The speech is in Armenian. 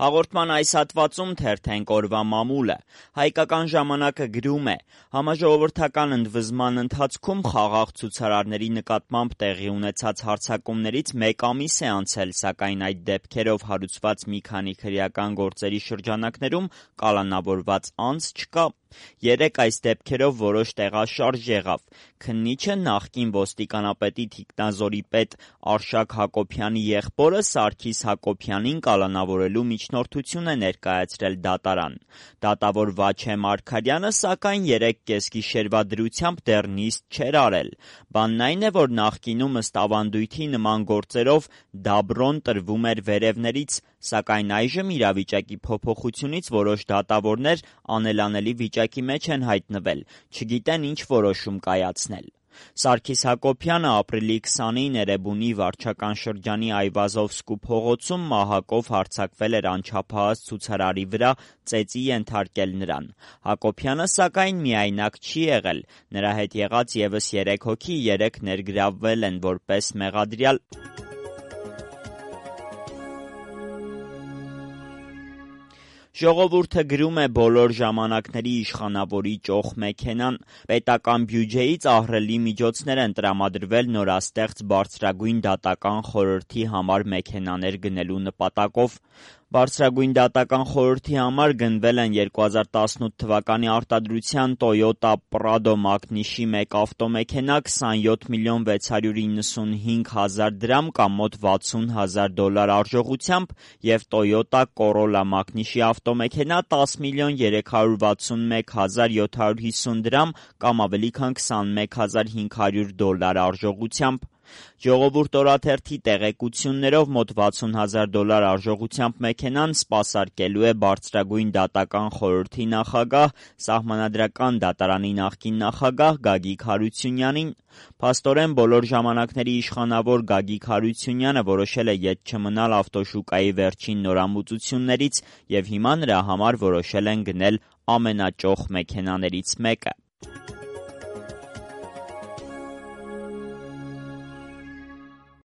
Հաղորդման այս հատվածում թերթենք օրվա մամուլը։ Հայկական ժամանակը գրում է. համաժողովրդական ընդվզման ընթացքում խաղաղ ցուցարարների նկատմամբ տեղի ունեցած հարձակումներից 1 ամիս է անցել, սակայն այդ դեպքերով հարուցված մի քանի քրեական գործերի շրջանակներում կալանավորված անձ չկա։ 3 այս դեպքերով որոշ տեղաշարժ եղավ։ Քննիչը նախկին ոստիկանապետի թիկնազորի պետ Արշակ Հակոբյանի եղբորը Սարգիս Հակոբյանին կալանավորելու միջնորդություն է ներկայացրել դատարան։ Դատավոր Վաչե Մարգարյանը, սակայն 3 կեսգիշերվա դրությամբ դեռ նիստ չէր արել։ Բանն այն է, որ նախկինում ըստ ավանդույթի նման գործերով դաբրոն տրվում էր վերևներից, սակայն այժմ իրավիճակի փոփոխությունից որոշ դատավորներ անելանելի վիճակի մեջ են հայտնվել, չգիտեն ինչ որոշում կայացնել։ Սարգիս Հակոբյանը ապրիլի 20-ին Էրեբունի վարչական շրջանի Այվազովսկու փողոցում մահակով հարձակվել էր անչափահաս ցուցարարի վրա, ծեծի ենթարկել նրան։ Հակոբյանը, սակայն, միայնակ չի եղել։ Նրա հետ եղած ևս 3 հոգի 3 ներգրավվել են որպես մեղադրյալ։ Ժողովուրդը գրում է բոլոր ժամանակների իշխանավորի ճոխ մեքենան։ Պետական բյուջեից ահռելի միջոցներ են տրամադրվել նորաստեղծ բարձրագույն դատական խորհրդի համար մեքենաներ գնելու նպատակով։ Բարձրագույն դատական խորհրդի համար գնվել են 2018 թվականի արտադրության Toyota Prado մակնիշի 1 ավտոմեքենա 27 միլիոն 695 հազար դրամ կամ մոտ $60,000 արժողությամբ և Toyota Corolla մակնիշի ավտոմեքենա 10 միլիոն 361 հազար 750 դրամ կամ ավելի քան $21,500 արժողությամբ։ Ժողովուրդ օրաթերթի տեղեկություններով մոտ $60,000 արժողությամբ մեքենան սպասարկելու է բարձրագույն դատական խորհրդի նախագահ, Սահմանադրական դատարանի նախկին նախագահ Գագիկ Հարությունյանին։ Փաստորեն բոլոր ժամանակների իշխանավոր Գագիկ Հարությունյանը որոշել է ետ չմնալ ավտոշուկայի վերջին նորամուծություններից և հիմա նրա համար որոշել են գնել ամենաճոխ մեքենաներից մեկը։